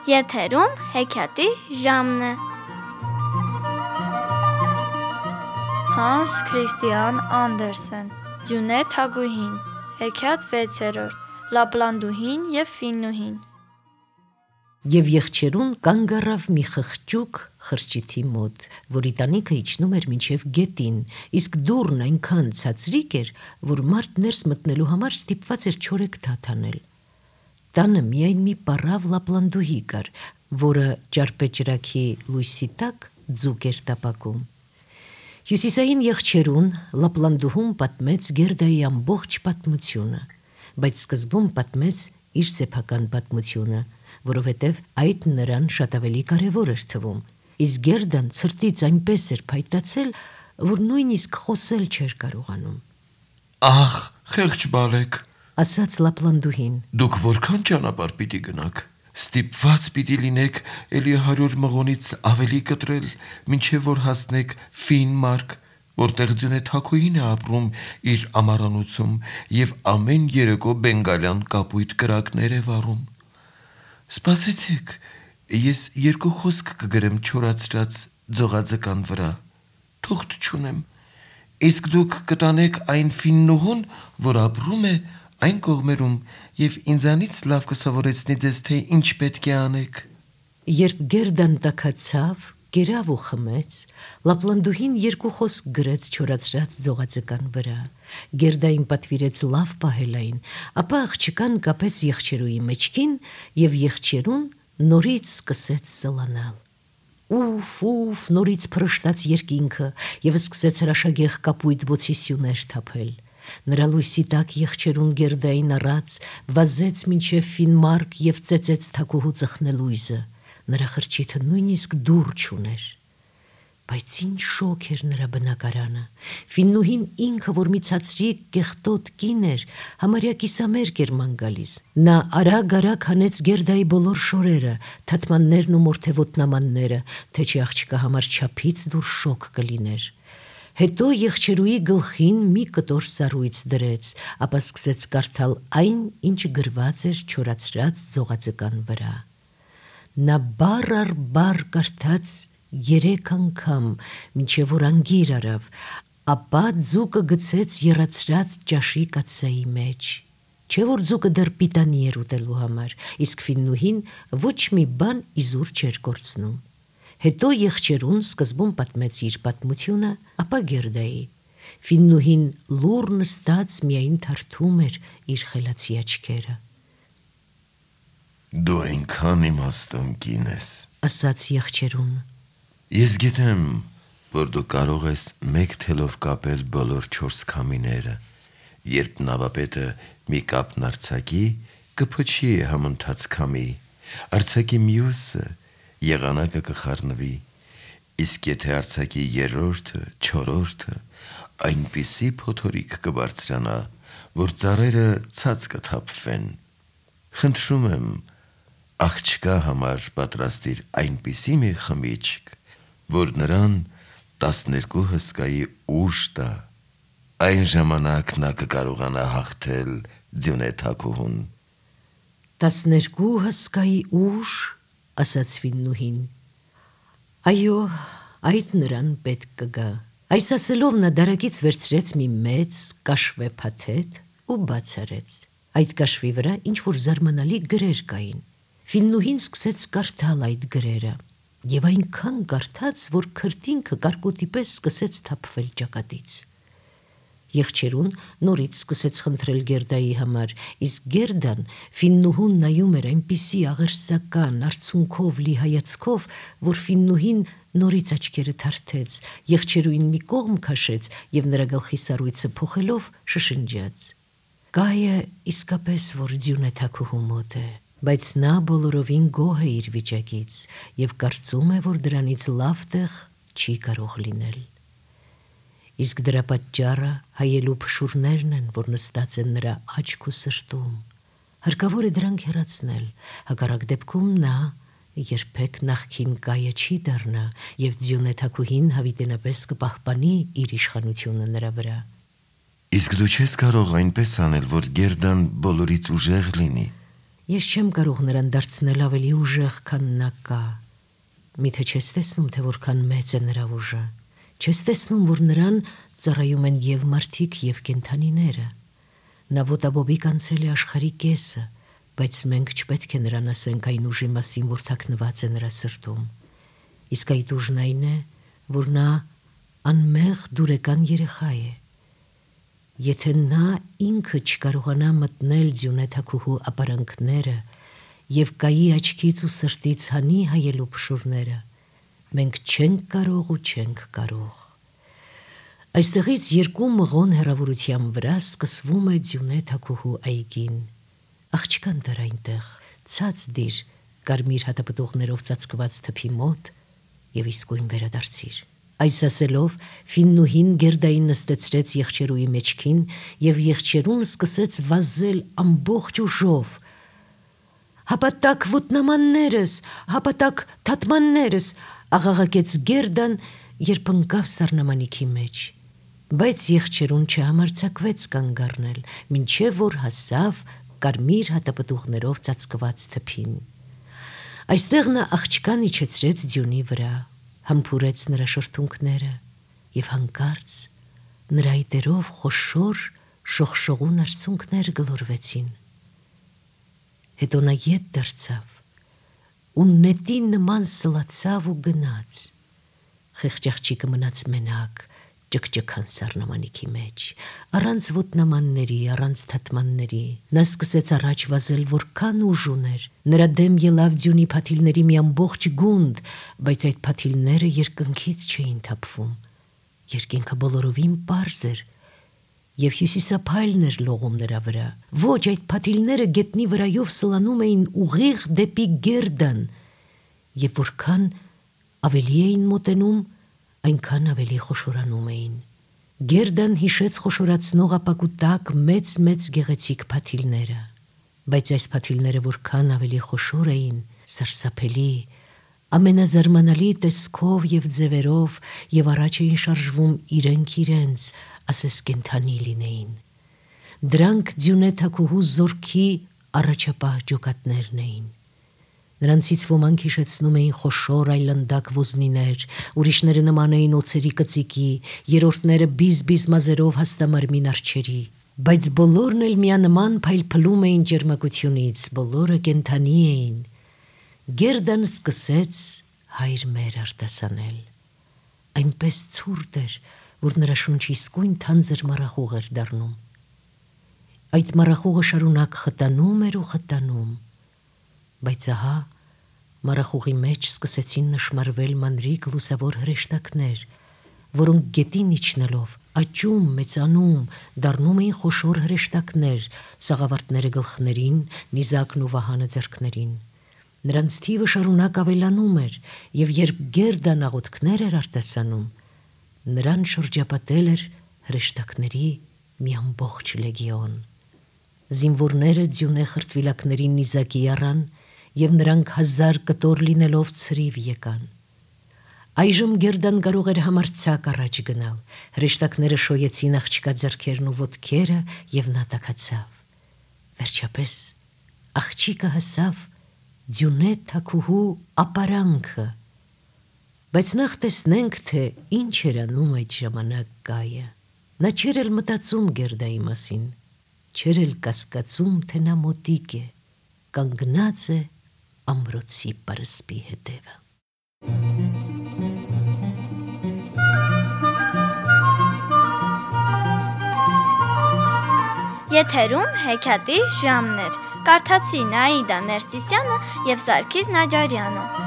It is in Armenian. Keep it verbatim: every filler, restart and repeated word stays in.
Եթերում հեքիաթի ժամն է։ Հանս Քրիստիան Անդերսեն, Ձյունե Թագուհին, հեքիաթ վեցերորդ, Լապլանդուհին և Ֆիննուհին։ Եվ եղջերուն կանգ առավ մի խղճուկ խրճիթի մոտ, որի տանիքը իջնում էր մինչև գետին, իսկ դուռն այնքան ցածրիկ էր, որ մարդ ներս մտնելու համար ստիպված էր չորեքթաթ անել։ Տանը միայն մի պառավ լապլանդուհի կար, որը ճարպեճրագի լույսի տակ ձուկ էր տապակում։ Հյուսիսային եղջերուն լապլանդուհուն պատմեց Գերդայի ամբողջ պատմությունը, բայց սկզբում պատմեց իր սեփական պատմությունը, որովհետև այդ նրան շատ ավելի կարևոր էր թվում, իսկ Գերդան ցրտից այնպես էր փայտացել, որ նույնիսկ խոսել չէր կարողանում։ Ահ, խեղճ բալեք, ասաց լապլանդուհին, դուք որքան ճանապարհ պիտի գնաք, ստիպված պիտի լինեք էլի հարյուր մղոնից ավելի կտրել, մինչև որ հասնեք Ֆինմարկ, որտեղ Ձյունե Թագուհին է ապրում իր ամառանոցում և ամեն երեկո բենգալյան կապույտ կրակներ է վառում։ Սպասեցեք, ես երկու խոսք կգրեմ չորացրած ձողաձկան վրա, թուղթ չունեմ, իսկ դուք կտանեք այն Ֆիննուհուն, որ ապրում է այն կողմերում և ինձանից լավ կսովորեցնի ձեզ, թե ինչ պետք է անեք։ Երբ Գերդան տաքացավ, կերավ ու խմեց, լապլանդուհին երկու խոսք գրեց չորացրած ձողաձկան վրա, Գերդային պատվիրեց լավ պահել այն, ապա աղջկան կապեց եղջերուի մեջքին և եղջերուն նորից սկսեց սլանալ։ Ուֆ, ուֆ, նորից փռշտաց երկինքը և սկսեց հրաշագեղ կապույտ բոցի սյուներ թափել։ Նրա լույսի տակ եղջերուն Գերդային առած վազեց մինչև Ֆինմարկ և ծեծեց թագուհու ծխնելույզը, նրա խրճիթը նույնիսկ դուռ չուներ։ Բայց ինչ շոգ էր նրա բնակարանը։ Ֆիննուհին ինքը, որ մի ցածրիկ կեղտոտ կին էր, համարյա կիսամերկ էր ման գալիս։ Նա արագ-արագ հանեց Գերդայի բոլոր շորերը, թաթմաններն ու մորթևոտնամանները, թե չի աղջկա համար չափից դուր շոգ կլիներ։ Հետո եղջերուի գլխին մի կտոր սառույց դրեց, ապա սկսեց կարդալ այն, ինչ գրված էր չորացրած ձողաձկան վրա։ Նա բառ առ բառ կարդաց երեք անգամ, մինչև որ անգիր առավ, ապա ձուկը գցեց եռացրած ճաշի կաթսայի մեջ։ Չէ որ ձուկը դեռ պիտանի էր ուտելու համար, իսկ Ֆիննուհին ոչ մի բան իզուր չէր կորցնում։ Հետո եղջերուն սկզբում պատմեց իր պատմությունը, ապա Գերդայի։ Ֆիննուհին լուռ նստած միայն թարթում էր իր խելացի աչքերը։ Դու այնքան իմաստուն կին ես, ասաց եղջերուն, ես գիտեմ, որ դու կարող ես մեկ թելով կապել բոլոր չորս քամիները, երբ նավապետը մի կապն արձակի, կփչի համընթաց քամի, արձակի մյուսը, եղանակը կխառնվի, իսկ եթե արձակի երրորդը, չորրորդը, այնպիսի փոթորիկ կբարձրանա, որ ծառերը ցած կթափվեն։ Խնդրում եմ, աղջկա համար պատրաստիր այնպիսի մի խմիչք, որ նրան տասներկու հսկայի ուժ տա, այն ժամանակ նա կկարողանա հաղթել Ձյունե Թագուհուն։ Տասներկու հսկայի ուժ, ասաց Ֆիննուհին։ Այո, այդ նրան պետք կգա։ Այս ասելով նա դարակից վերցրեց մի մեծ կաշվե փաթեթ ու բաց արեց։ Այդ կաշվի վրա ինչ-որ զարմանալի գրեր կային։ Ֆիննուհին սկսեց կարդալ այդ գրերը և այնքան կարդաց, որ քրտինքը կարկուտի պես սկսեց թափվել ճակատից։ Եղջերուն նորից սկսեց խնդրել Գերդայի համար, իսկ Գերդան Ֆիննուհուն նայում էր այնպիսի աղերսական, արցունքով լի հայացքով, որ Ֆիննուհին նորից աչքերը թարթեց, եղջերուին մի կողմ քաշեց և նրա գլխի սառույցը փոխելով շշնջաց. Կայը իսկապես որ Ձյունե Թագուհու մոտ է, բայց նա բոլորովին գոհ է իր վիճակից և կարծում է, որ դրանից լավ տեղ չի կարող լինել։ Իսկ դրա պատճառը հայելու փշուրներն են, որ նստած են նրա աչք ու սրտում։ Հարկավոր է դրանք հեռացնել, հակառակ դեպքում նա երբեք նախքին կայը չի դառնա և Ձյունե Թագուհին հավիտենապես կպահպանի իր իշխանությունը նրա վրա։ Իսկ դու չես կարող այնպես անել, որ Գերդան բոլորից ուժեղ լինի։ Ես չեմ կարող նրան դարձնել ավելի ուժեղ, քան նա կա։ Միթե չես տեսնում, թե որքան մեծ է նրա ուժը։ Չես տեսնում, որ նրան ծառայում են եւ մարդիկ, եւ կենդանիները։ Նա ոտաբոբիկ անցել է աշխարհի կեսը, բայց մենք չպետք է նրան ասենք այն ուժի մասին, որ թաքնված է նրա սրտում։ Իսկ այդ ուժն այն է, որ նա անմեղ դուրեկան երեխա է։ Եթե նա ինքը չկարողանա մտնել Ձյունե թագուհու ապարանքները եւ կայի աչքից ու սրտից հանի հայելու փշուրները, մենք չենք կարող ու չենք կարող։ Այստեղից երկու մղոն հեռավորության վրա սկսվում է Ձյունե թագուհու այգին։ Աղջկան դար այնտեղ, ցած դիր կարմիր հատապտուղներով ծածկված թփի մոտ եւ իսկույն վերադարձիր։ Այս ասելով Ֆիննուհին Գերդային նստեցրեց եղջերուի մեջքին եւ եղջերուն սկսեց վազել ամբողջ ուժով։ Հապատակ ոտնամաններս, հապատակ թաթմաններս, աղաղակեց Գերդան, երբ ընկավ սառնամանիքի մեջ։ Բայց եղջերուն չհամարձակվեց կանգ առնել, մինչև որ հասավ կարմիր հատապտուղներով ծածկված թփին։ Այստեղ նա աղջկան իջեցրեց ձյունի վրա, համբուրեց նրա շրթունքները եւ հանկարծ նրա այտերով խոշոր շողշողուն արցունքներ գլորվեցին։ Հետո նա ետ դարձավ ու նետի նման սլացավ ու գնաց։ Խեղճ աղջիկը մնաց մենակ ճկճկան սառնամանիքի մեջ, առանց ոտնամանների, առանց թաթմանների։ Նա սկսեց առաջ վազել, որքան ուժ ուներ։ Նրա դեմ ելավ ձյունի փաթիլների մի ամբողջ գունդ, բայց այդ փաթիլները երկնքից չէին թափվում։ Երկինքը բոլորովին պարզ էր եւ հյուսիսափայլն էր լողում նրա վրա։ Ոչ, այդ փաթիլները գետնի վրայով սլանում էին ուղիղ դեպի Գերդան, եւ որքան ավելի էին մոտենում, այնքան ավելի խոշորանում էին։ Գերդան հիշեց խոշորացնող ապակու տակ մեծ-մեծ գեղեցիկ փաթիլները, բայց այս փաթիլները որքան ավելի խոշոր էին, սարսափելի, ամենազարմանալի տեսքով եւ ձևերով եւ առաջ էին շարժվում իրենք իրենց, ասես կենդանի լինեին։ Դրանք Ձյունե թագուհու զորքի առաջապահ ջոկատներն էին։ Նրանցից ոմանք հիշեցնում էին խոշոր այլանդակ ոզնիներ, ուրիշները նման էին օձերի կծիկի, երրորդները բիզ-բիզ մազերով հաստամարմին արջերի, բայց բոլորն էլ միանման փայլփլում էին ջերմակությունից, բոլորը կենդանի էին։ Գերդան սկսեց հայր մեր արտասանել։ Այնպես ցուրտ էր, որ նրա շունչը իսկույն թանձր մառախուղ էր դառնում։ Այդ մառախուղը շարունակ խտանում էր ու խտանում, բայց ահա մառախուղի մեջ սկսեցին նշմարվել մանրիկ լուսավոր հրեշտակներ, որոնք գետին իջնելով, աճում, մեծանում, դառնում էին խոշոր հրեշտակներ, սաղավարտները գլխներին, նիզակն ու վահանը ձեռքներին։ Նրանց թիվը շարունակ ավելանում էր, եւ երբ Գերդան աղոթքներ էր արտասանում, նրան շրջապատել էր հրեշտակների մի ամբողջ լեգիոն։ Զինվորները Ձյունե խրտվիլակներին նիզակի առան եւ նրանք հազար կտոր լինելով ցրիվ եկան։ Այժմ Գերդան կարող էր համարձակ առաջ գնալ։ Հրեշտակները շոյեցին աղջկա ձեռքերն ու ոտքերը եւ նա տաքացավ։ Վերջապես աղջիկը հասավ Ձյունե թագուհու ապարանքը։ Բայց նախ տեսնենք, թե ինչ էր անում այդ ժամանակ գայը։ Նա չէր էլ մտածում Գերդայի մասին, չէր էլ կասկածում, թե նա մոտիկ է, կանգնած է ամրոցի պարսպի հետևը։ Եթերում հեքիաթի ժամն էր։ Կարդացին Աիդա Ներսիսյանը եւ Սարգիս Նաջարյանը։